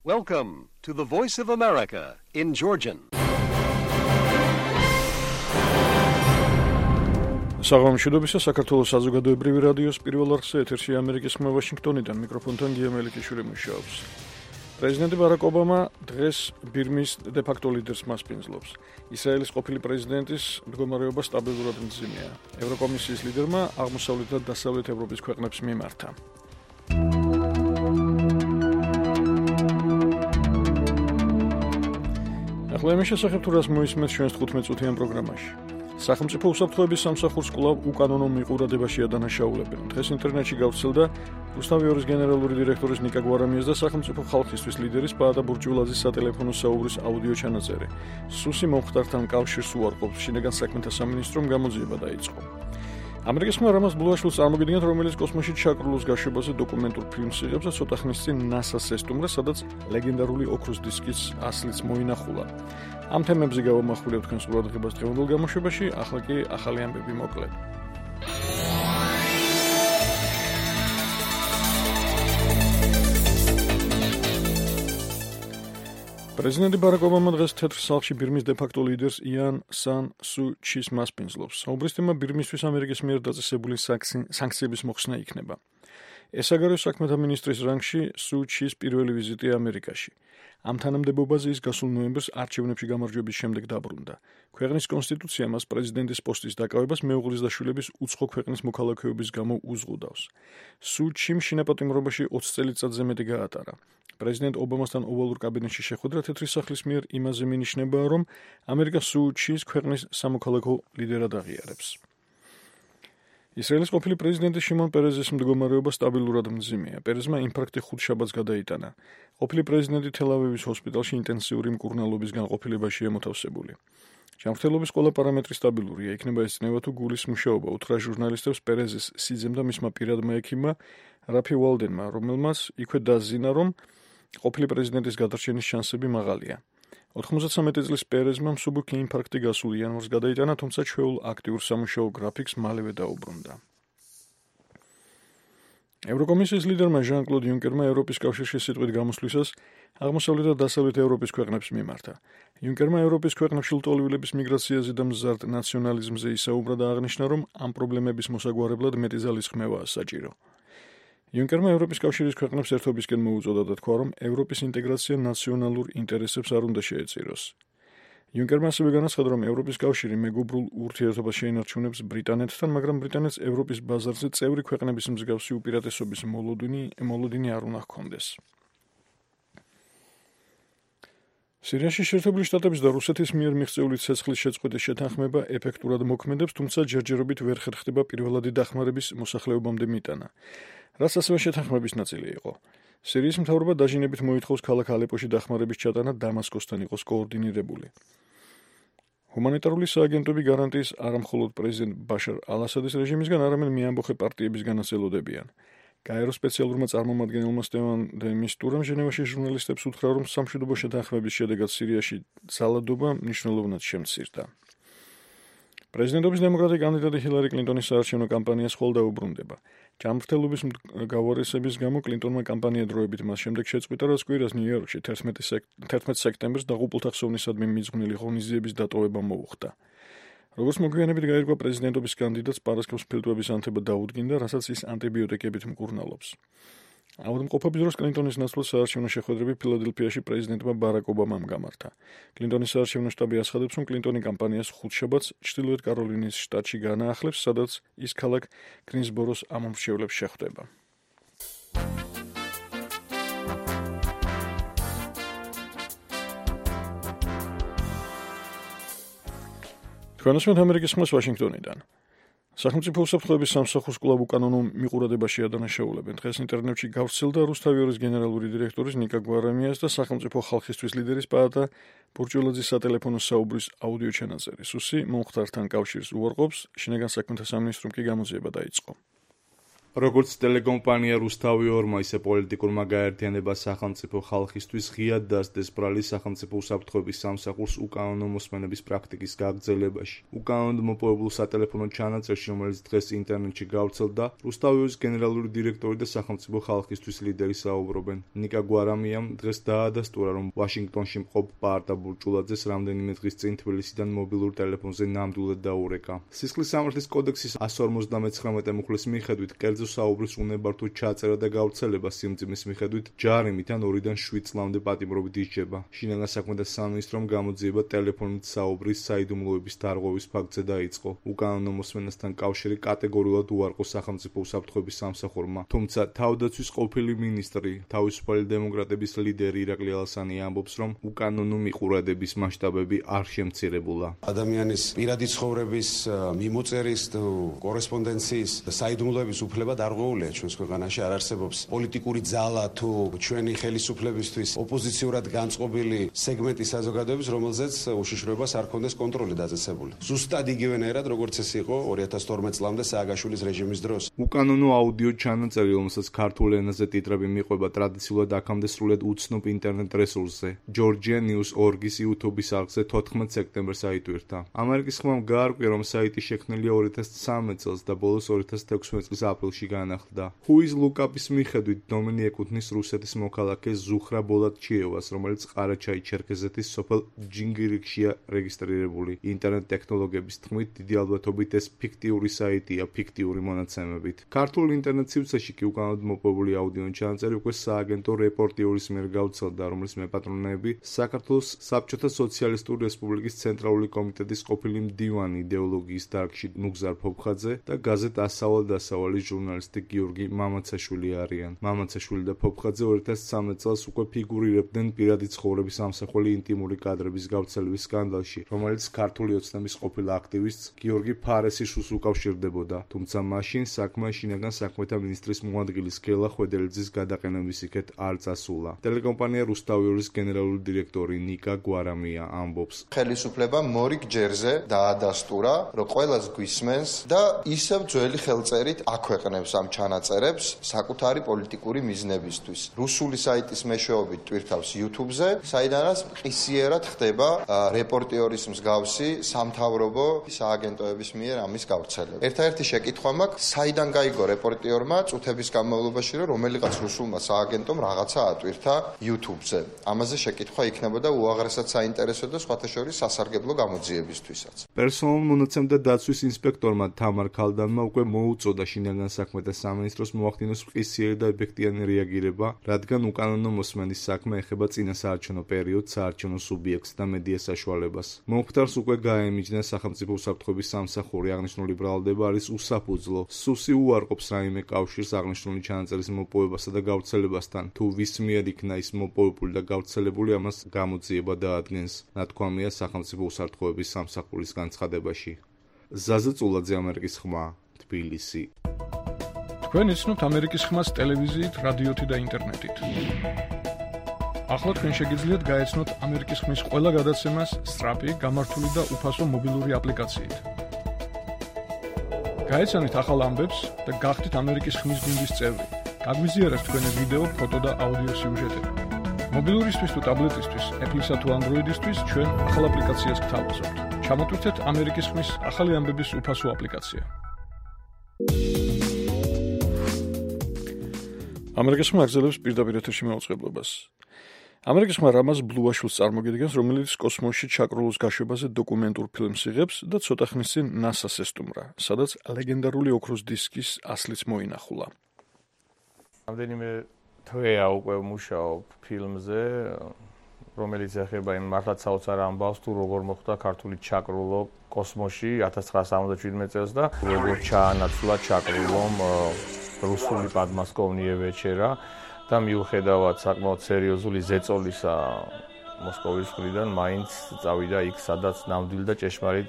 Welcome to the Voice of America in Georgian. საღამოშიდობისა საქართველოს საზოგადოებრივი რადიოს პირველ არხზე ეთერში ამერიკის ხმა ვაშინგტონიდან მიკროფონთან გია მელიქიშვილი მუშაობს. პრეზიდენტი ბარაკ ობამა დღეს ბირმის დე-ფაქტო ლიდერს მასპინძლობს. ისრაელის ყოფილი პრეზიდენტის მდგომარეობა სტაბილურად მძიმეა. ევროკომისიის ლიდერმა აღმოსავლეთ და დასავლეთ ევროპის ქვეყნებს მიმართა. ახლა იმის შესახებ თუ რას მოისმენთ ჩვენს 15 წუთიან პროგრამაში. სახელმწიფო უსაფრთხოების სამსახურს კვლავ უკანონო მიყურადებაშია დანაშაულებენ. დღეს ინტერნეტში გავრცელდა რუსთავი ორის გენერალური დირექტორის ნიკა გვარამიას და სახელმწიფო ხალხისთვის ლიდერის პაატა ბურჯულაძის სატელეფონო საუბრის აუდიო ჩანაწერი. სუსი მომხდართან კავშირს უარყოფს. შინაგან საქმეთა სამინისტრომ გამოძიება დაიწყო. ამერიკის ხმა რამაზ ბლუაშვილს წარმოგიდგენთ, რომელიც კოსმოსში ჩაკრულოს გაშვებაზე დოკუმენტურ ფილმს იღებს და ცოტა ხნის წინ NASA-ს ესტუმრა, სადაც ლეგენდარული ოქროს დისკის ასლიც მოინახულა. ამ თემებზე გავამახვილებთ თქვენს ყურადღებას დღევანდელ გამოშვებაში, ახლა კი ახალი ამბები მოკლედ. პრეზიდენტი ბარაკ ობამა დღეს თეთრ სახლში ბირმის დე-ფაქტო ლიდერს იან სან სუ ჩის მასპინძლობს. საუბრის თემა ბირმისთვის ამერიკის მიერ დაწესებული სანქციების მოხსნა იქნება. ეს საგარეო საქმეთა მინისტრის რანგში სუ ჩის პირველი ვიზიტია ამერიკაში. ამ თანამდებობაზე ის გასულ ნოემბერს არჩევნებში გამარჯვების შემდეგ დაბრუნდა. ქვეყნის კონსტიტუცია მას პრეზიდენტის პოსტის დაკავებას მეუღლის და შვილების უცხო ქვეყნის მოქალაქეობის გამო უზღუდავს. სუ ჩიმ შინაპატიმრობაში 20 წელიწადზე მეტი გაატარა. პრეზიდენტ ობამასთან ოვალურ კაბინეტში შეხვედრა თეთრი სახლის მიერ იმაზე მინიშნებაა, რომ ამერიკა სუ ჩის ქვეყნის სამოქალაქო ლიდერად აღიარებს. ისრაელის ყოფილი პრეზიდენტი შიმონ პერეზის მდგომარეობა სტაბილურად მძიმეა. პერეზმა ინფარქტი ხუთშაბათს გადაიტანა. ყოფილი პრეზიდენტი თელ-ავივის ჰოსპიტალში ინტენსიური მკურნალობისგან ყოფილებაშია მოთავსებული. ჯანმრთელობის ყველა პარამეტრი სტაბილურია. იქნება ეცნება თუ გულის მუშაობა. უთხრა ჟურნალისტებს პერეზის სიძემ და მისმა პირადმა ექიმმა რაფი ვალდენმა, რომელმაც იქვე დაზინა, რომ ყოფილი პრეზიდენტის გადარჩენის შანსები მაღალია. 93 წლის პერეზმა მსუბუქი ინფარქტი გასულ იანვარს გადაიტანა, თუმცა ჩვეულ აქტიურ სამუშაო გრაფიკს მალევე დაუბრუნდა. ევროკომისიის ლიდერმა ჟან-კლოდ იუნკერმა ევროპის კავშირში სიტყვით გამოსვლისას აღმოსავლეთ და დასავლეთ ევროპის ქვეყნებს მიმართა. იუნკერმა ევროპის ქვეყნებში ლტოლვილების მიგრაციაზე და მზარდ ნაციონალიზმზე ისაუბრა და აღნიშნა, რომ ამ პრობლემების მოსაგვარებლად მეტი ძალის ხმევაა საჭირო. იუნკერმა ევროპის კავშირის ქვეყნებს ერთობისკენ მოუწოდა და თქვა, რომ ევროპის ინტეგრაცია ნაციონალურ ინტერესებს არ უნდა შეეწიროს. იუნკერმა ასევე განაცხადა, რომ ევროპის კავშირი მეგობრულ ურთიერთობას შეინარჩუნებს ბრიტანეთთან, მაგრამ ბრიტანეთს ევროპის ბაზარზე წევრი ქვეყნების მსგავსი უპირატესობის მოლოდინი არ უნდა ჰქონდეს. სირიაში შეერთებული შტატების და რუსეთის მიერ მიღწეული ცეცხლის შეწყვეტის შეთანხმება ეფექტურად მოქმედებს, თუმცა ჯერჯერობით ვერ ხერხდება პირველადი დახმარების მოსახლეობამდე მიტანა, რაც ასევე შეთანხმების ნაწილი იყო. სირიის მთავრობა დაჟინებით მოითხოვს ქალაქ ალეპოში დახმარების ჩატანა დამასკოსთან იყოს კოორდინირებული. ჰუმანიტარული სააგენტოები გარანტიის არა მხოლოდ პრეზიდენტ ბაშარ ალ-ასადის რეჟიმისგან, არამედ მეამბოხე პარტიებისგანაც ელოდებიან. გაერო სპეციალურმა წარმომადგენელმა სტევან დე მისტურამ ჟენევაში ჟურნალისტებს უთხრა, რომ სამშვიდობო შეთანხმების შედეგად სირიაში ძალადობა მნიშვნელოვნად შემცირდა. პრეზიდენტობის დემოკრატი კანდიდატი ჰილარი კლინტონის საარჩევნო კამპანიას ხვალ დაუბრუნდება. ჯანმრთელობის გავარესების გამო კლინტონმა კამპანია დროებით მას შემდეგ შეწყვიტა, რაც კვირას ნიუ-იორკში 11 სექტემბერს დაღუპულთა ხსოვნისადმი მიძღვნილი ღონისძიების დატოვება მოუხდა. როგორც მოგვიანებით გაირკვა, პრეზიდენტობის კანდიდატს პარასკევს ფილტვების ანთება დაუდგინდა, რასაც ის ანტიბიოტიკებით მკურნალობს. ავადმყოფობის დროს კლინტონის ნაცვლად საარჩევნო შეხვედრები ფილადელფიაში პრეზიდენტმა ბარაკ ობამამ გამართა. კლინტონის საარჩევნო შტაბი აცხადებს, რომ კლინტონი კამპანიას ხუთშაბათს ჩრდილოეთ კაროლინის შტატში განაახლებს, სადაც ის ქალაქ გრინსბოროს ამომრჩევლებს შეხვდება. თქვენ უსმენთ ამერიკის ხმას ვაშინგტონიდან. სახელმწიფო უსაფრთხოების სამსახურს კვლავ უკანონო მიყურადებაშია დანაშაულებენ. დღეს ინტერნეტში გავრცელდა რუსთავი ორის გენერალური დირექტორის ნიკა გვარამიას და სახელმწიფო ხალხისთვის ლიდერის პაატა ბურჯულაძის სატელეფონო საუბრის აუდიო ჩანაწერი. სუსი მომხდართან კავშირს უარყოფს, შინაგან საქმეთა სამინისტრომ კი გამოძიება დაიწყო. როგორც ტელეკომპანია რუსთავი ორმა, ისე პოლიტიკურმა გაერთიანება სახელმწიფო ხალხისთვის ღიად დასდეს ბრალი სახელმწიფო უსაფრთხოების სამსახურს უკანონო მოსმენების პრაქტიკის გაგრძელებაში. უკანონოდ მოპოვებულ სატელეფონო ჩანაწერში, რომელიც დღეს ინტერნეტში გავრცელდა, რუსთავი ორის გენერალური დირექტორი და სახელმწიფო ხალხისთვის ლიდერი საუბრობენ. ნიკა გვარამიამ დღეს დაადასტურა, რომ ვაშინგტონში მყოფ პაარტა ბურჭულაძეს რამდენიმე დღის წინ თბილისიდან მობილურ ტელეფონზე ნამდვილად დაურეკა. სისხლის სამართლის კოდექსის 159 მუხლის მიხედვით კერძო საუბრის უნებართვო ჩაწერა და გავრცელება სიმძიმის მიხედვით ჯარიმით ან 2-დან 7 წლამდე პატიმრობით ისჯება. შინაგან საქმეთა სამინისტრომ გამოძიება ტელეფონით საუბრის საიდუმლოების დარღვევის ფაქტზე დაიწყო. უკანონო მოსმენასთან კავშირი კატეგორიულად უარყო სახელმწიფო უსაფრთხოების სამსახურმა, თუმცა თავდაცვის ყოფილი მინისტრი, თავისუფალი დემოკრატების ლიდერი ირაკლი ალასანი ამბობს, რომ უკანონო მიყურადების მასშტაბები არ შემცირებულა. ადამიანის პირადი ცხოვრების მიმოწერის კორესპონდენციის და საიდუმლოების უფლება დარღვეულია ჩვენს ქვეყანაში. არ არსებობს პოლიტიკური ძალა თუ ჩვენი ხელისუფლებისთვის ოპოზიციურად განწყობილი სეგმენტის საზოგადოების, რომელზეც უშიშროებას არ ქონდეს კონტროლი დაწესებული. ზუსტად იგივენაირად, როგორც ეს იყო 2012 წლამდე სააგაშვილის რეჟიმის დროს. უკანონო აუდიო ჩანაწერი, რომელსაც ქართულ ენაზე ტიტრები მიყვება, ტრადიციულად აქამდე სრულიად უცნობ ინტერნეტ რესურსზე, Georgia News.org-ის YouTube-ის არხზე 14 სექტემბერს აიტვირთა. ამერიკის ხმამ გაარკვია, რომ საიტი შექმნილია 2013 წელს და ბოლოს 2016 წლის აპრილში განახლდა. Whois Look-up-ის მიხედვით დომენი ეკუთვნის რუსეთის მოქალაქე ზუხრა ბოლატჩიევას, რომელიც ყარაჩაი-ჩერქეზეთის სოფელ ჯინგირიქშია რეგისტრირებული. ინტერნეტ ტექნოლოგიების თქმით, დიდი ალბათობით ეს ფიქტიური საიტია ფიქტიური მონაცემებით. ქართულ ინტერნეტ სივრცეში კი უკანონოდ მოპოვებული აუდიო ჩანაწერი უკვე სააგენტო რეპორტიორის მიერ გავრცელდა, რომლის მეპატრონეები საქართველოს საბჭოთა სოციალისტური რესპუბლიკის ცენტრალური კომიტეტის ყოფილი მდივანი იდეოლოგიის დარგში ნუგზარ ფოფხაძე და გაზეთ ასავალ-დასავალის ჟურნალისტი გიორგი მამაცაშვილი არიან. მამაცაშვილი და ფოფხაძე 2013 წელს უკვე ფიგურირებდნენ პირადი ცხოვრების ამსახველი ინტიმური კადრების გავრცელების სკანდალში, რომელიც ქართული ოცნების ყოფილ აქტივისტს გიორგი ფარესიშვილს უკავშირდებოდა, თუმცა მაშინ საქმე შინაგან საქმეთა მინისტრის მოადგილის გელა ხვედელიძის გადაყენების იქეთ არ წასულა. ტელეკომპანია რუსთავი ორის გენერალური დირექტორი ნიკა გვარამია ამბობს, ხელისუფლებამ მორიგ ჯერზე დაადასტურა, რომ ყველას გვისმენს და ისევ ძველი ხელწერით აქვეყნებს ამ ჩანაწერებს საკუთარი პოლიტიკური მიზნებისთვის. რუსული საიტის მეშვეობით ტვირთავს YouTube-ზე, საიდანაც ყისიერად ხდება რეპორტიორის მსგავსი სამთავრობო სააგენტოების მიერ ამის გავრცელება. ერთადერთი შეკითხვა მაქვს, საიდან გაიგო რეპორტიორმა წუთების განმავლობაში, რომ რომელიღაც რუსულმა სააგენტომ რაღაცა ატვირთა YouTube-ზე. ამაზე შეკითხვა იქნებოდა უაღრესად საინტერესო და სხვათა შორის სასარგებლო გამოძიებისთვისაც. პერსონალურ მონაცემთა დაცვის ინსპექტორმა თამარ ქალდანმა უკვე მოუწოდა შინაგან საქმეთა სამინისტროს მოახდინოს მყისიერი და ეფექტიანი რეაგირება, რადგან უკანონო მოსმენის საქმე ეხება წინასაარჩევნო პერიოდს, საარჩევნო სუბიექტს და მედია საშუალებას. მომხდარს უკვე გაემიჯნა სახელმწიფო უსაფრთხოების სამსახური. აღნიშნული ბრალდება არის უსაფუძვლო. სუსი უარყოფს რაიმე კავშირს აღნიშნული ჩანაწერის მოპოვებასა და გავრცელებასთან. თუ ვის მიერ იქნა ის მოპოვებული და გავრცელებული, ამას გამოძიება დაადგენს. ნათქვამია სახელმწიფო უსაფრთხოების სამსახურის განცხადებაში. ზაზა წულაძე, ამერიკის ხმა, თბილისი. თქვენ იცნობთ ამერიკის ხმას ტელევიზიით, რადიოთი და ინტერნეტით. ახლა თქვენ შეგიძლიათ გაეცნოთ ამერიკის ხმის ყველა გადაცემას სწრაფი, გამართული და უფასო მობილური აპლიკაციით. გაეცანით ახალ ამბებს და გახდით ამერიკის ხმის გუნდის წევრი. გაგვიზიარეთ თქვენი ვიდეო, ფოტო და აუდიო სიუჟეტები. მობილურისთვის თუ ტაბლეტისთვის, Apple-ისა თუ Android-ისთვის ჩვენ ახალ აპლიკაციას გთავაზობთ. ჩამოტვირთეთ ამერიკის ხმის ახალი ამბების უფასო აპლიკაცია. ამერიკის ხმა აგრძელებს პირდაპირ ეთერში მაუწყებლობას. ამერიკის ხმა რამაზ ბლუაშვილს წარმოგიდგენს, რომელიც კოსმოსში ჩაკრულოს გაშვებაზე დოკუმენტურ ფილმს იღებს და ცოტა ხნის წინ NASA-ს ესტუმრა, სადაც ლეგენდარული ოქროს დისკის ასლიც მოინახულა. რამდენიმე თვეა უკვე მუშაობ ფილმზე, რომელიც ეხება იმ მართლაც საოცარ ამბავს, თუ როგორ მოხდა ქართული ჩაკრულო კოსმოსში 1977 წელს და როგორ ჩაანაცვლა ჩაკრულომ რუსული პადმასკოვნიე ვეჩერა და მიუხედავად საკმაოდ სერიოზული ზეწოლისა მოსკოვის მხრიდან მაინც წავიდა იქ, სადაც ნამდვილი და ჭეშმარიტ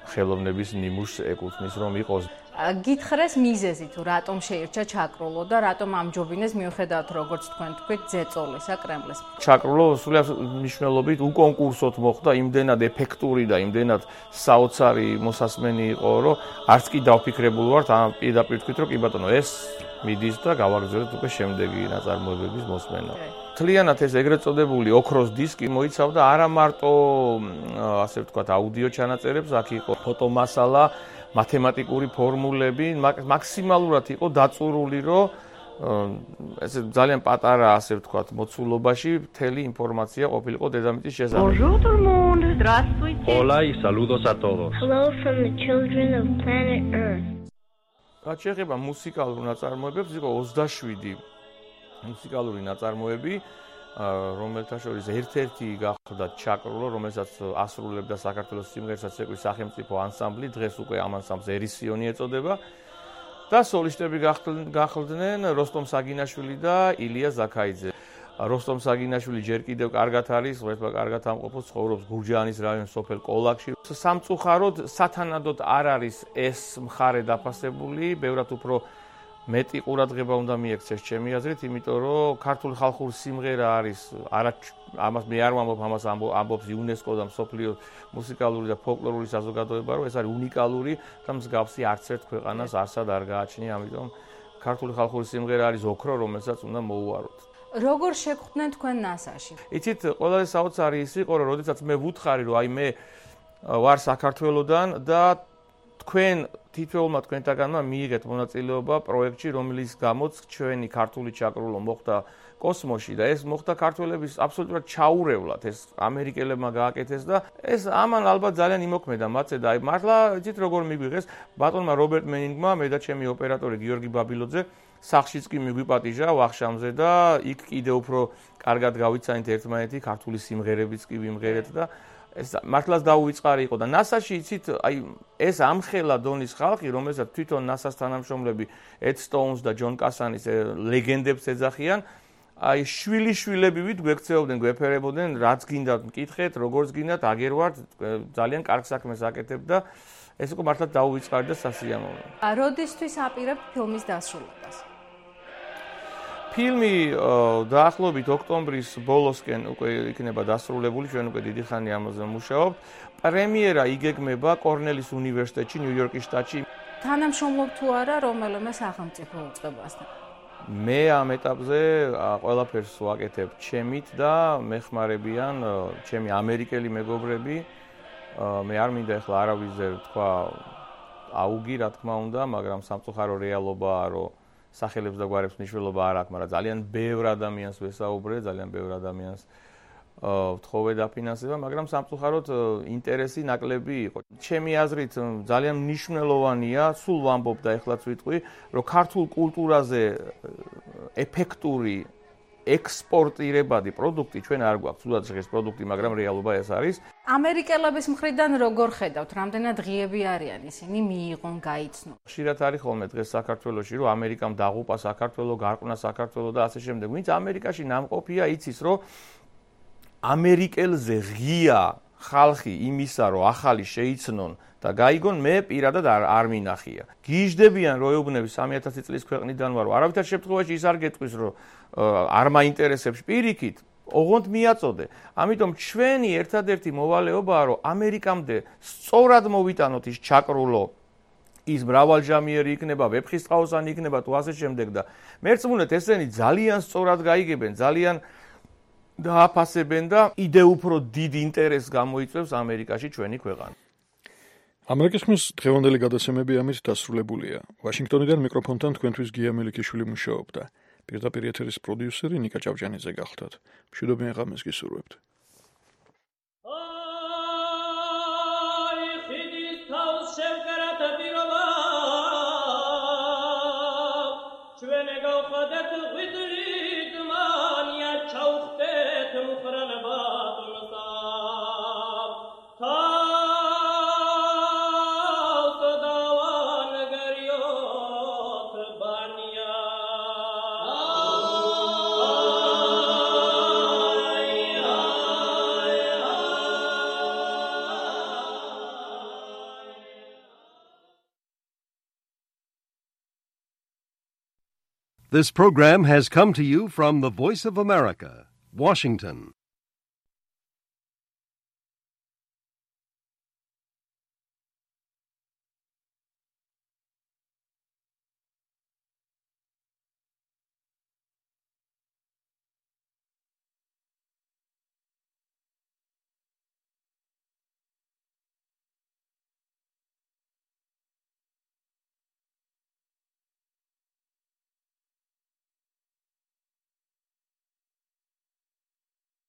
ხელოვნების ნიმუშს ეკუთვნის, რომ იყოს. გითხრეს მიზეზი თუ რატომ შეირჩა ჩაკრულო და რატომ ამჯობინეს მიუხედავად როგორც თქვენ თქვით ძეწოლისა კრემლის. ჩაკრულო სულიერ მნიშვნელობით უკონკურსოდ მოხდა, იმდენად ეფექტური და იმდენად საოცარი მოსასმენი იყო, რომ არც კი დავფიქრებული ვართ ამ პირდაპირ თქვით, რომ კი ბატონო ეს მიდის და გავაგრძელებთ უკვე შემდეგი ნაწარმოებების მოსმენა. მთლიანად ეს ეგრეთ წოდებული ოქროს დისკი მოიცავდა არა მარტო ასე ვთქვათ აუდიო ჩანაწერებს, აქ იყო ფოტომასალა, მათემატიკური ფორმულები, მაქსიმალურად იყო დაწურული, რომ ესე ძალიან პატარა ასე ვთქვათ მოცულობაში მთელი ინფორმაცია ყოფილიყო დედამიწის შესახებ. Bonjour tout le monde, здравствуйте. Hola y saludos a todos. Hello from the children of planet Earth. რაც შეეხება მუსიკალურ ნაწარმოებებს, იყო 27 მუსიკალური ნაწარმოები, რომელთა შორის ერთ-ერთი გახდა ჩაკრულო, რომელსაც ასრულებდა საქართველოს სიმღერათა ცეკვის სახელმწიფო ანსამბლი, დღეს უკვე ამ ანსამბლს ერისიონი ეწოდება და სოლისტები გახლდნენ როსტომ საგინაშვილი და ილია ზაქაიძე. როსტომ საგინაშვილი ჯერ კიდევ კარგად არის, ღმერთმა კარგად ამყოფოს, ცხოვრობს გურჯაანის რაიონის სოფელ კოლაკში. სამწუხაროდ სათანადოდ არ არის ეს მხარე დაფასებული, ბევრად უფრო მეტი ყურადღება უნდა მიექცეს ჩემი აზრით, იმიტომ რომ ქართული ხალხური სიმღერა არის ამას მე არ ვამბობ, ამას ამბობს იუნესკო და მსოფლიო მუსიკალური და ფოლკლორული საზოგადოება, რომ ეს არის უნიკალური და მსგავსი არც ერთ ქვეყანას არსად არ გააჩნია, ამიტომ ქართული ხალხური სიმღერა არის ოქრო, რომელსაც უნდა მოუაროთ. როგორ შეგხვდნენ თქვენ NASA-ში? იცით, ყველაზე საოცარი ის იყო, რომ როდესაც მე ვუთხარი, რომ აი მე ვარ საქართველოდან და თქვენ თითოეულმა თქვენთაგანმა მიიღეთ მონაწილეობა პროექტში, რომელიც გამოც ჩვენი ქართული ჩაკრულო მოხდა კოსმოსში და ეს მოხდა ქართველების აბსოლუტურად ჩაურევლად, ეს ამერიკელებმა გააკეთეს და ეს ამან ალბათ ძალიან იმოქმედა მათზე და აი მართლა იცით როგორ მიგვიღეს ბატონმა რობერტ მენინგმა, მე და ჩემი ოპერატორი გიორგი ბაბილოძე სახშიც კი მიგვიპატიჟა ვახშამზე და იქ კიდევ უფრო კარგად გავიცანით ერთმანეთი, ქართული სიმღერებიც კი ვიმღერეთ და ეს მართლაც დაუვიწყარი იყო და NASA-ში იცით, აი ეს ამხელა დონის ხალხი, რომელსაც თვითონ NASA-ს თანამშრომლები Ed Stones და John Cassani-ს ლეგენდებს ეძახიან, აი შვილიშვილებივით გვექცეობდნენ, გვეფერებოდნენ, რაც გინდათ მკითხეთ, როგორც გინდათ, აგერ ვართ, ძალიან კარგ საქმეს აკეთებ და ეს იყო მართლაც დაუვიწყარი და სასიამოვნო. როდისთვის აპირებთ ფილმის დასრულებას? ფილმი დაახლოებით ოქტომბრის ბოლოსკენ უკვე იქნება დასრულებული, ჩვენ უკვე დიდი ხანი ამაზე ვმუშაობთ. პრემიერა იგეგმება კორნელის უნივერსიტეტში, ნიუ-იორკის შტატში. თანამშრომლობ თუ არა რომელიმე სახელმწიფო უწყებასთან? მე ამ ეტაპზე ყველაფერს ვაკეთებ ჩემით და მეხმარებიან ჩემი ამერიკელი მეგობრები. მე არ მინდა ახლა არავიზე თქვა აუგი, რა თქმა უნდა, მაგრამ სამწუხარო რეალობაა, რომ სახელებს და გვარებს მნიშვნელობა არ აქვს, მაგრამ ძალიან ბევრ ადამიანს ვესაუბრე, ძალიან ბევრ ადამიანს ვთხოვე დაფინანსება, მაგრამ სამწუხაროდ ინტერესი ნაკლები იყო. ჩემი აზრით ძალიან მნიშვნელოვანია, სულ ვამბობ და ეხლაც ვიტყვი, რომ ქართულ კულტურაზე ეფექტური ექსპორტირებადი პროდუქტი ჩვენ არ გვაქვს, თუნდაც ეს პროდუქტი, მაგრამ რეალობა ეს არის. ამერიკელების მხრიდან როგორ ხედავთ, რამდენად ღიები არიან ისინი, მიიღონ, გაიცნო? ხშირად არის ხოლმე დღეს საქართველოში, რომ ამერიკამ დაღუპა საქართველო, გარყვნა საქართველო და ასე შემდეგ. ვინც ამერიკაში ნამყოფია, იცის, რომ ამერიკელზე ღია ხალხი იმისა, რომ ახალი შეიცნონ და გაიგონ, მე პირადად არ მინახია. გიჟდებიან, რომ ეუბნები 3000 წლის ქვეყნიდან ვარო. არავითარ შემთხვევაში ის არ გეტყვის, რომ არ მაინტერესებს პირიქით, ოღონდ მიაწოდე. ამიტომ ჩვენი ერთადერთი მოვალეობაა, რომ ამერიკამდე სწორად მოვიტანოთ ის ჩაკრულო, ის მრავალჟამიერი იქნება, ვეფხისტყაოსანი იქნება თუ ასე შემდეგ და მერწმუნეთ ესენი ძალიან სწორად გაიგებენ, ძალიან დააფასებენ და იდე უფრო დიდ ინტერესს გამოიწვევს ამერიკაში ჩვენი ქვეყანა. ამერიკის ხმის დღევანდელი გადაცემები ამით დასრულებულია. ვაშინგტონიდან მიკროფონთან თქვენთვის გია მელიქიშვილი მუშაობდა. პირდაპირ ეთერის პროდიუსერი ნიკა ჭავჭანიძე გახლდათ. მშვიდობიან ღამეს გისურვებთ. This program has come to you from the Voice of America, Washington.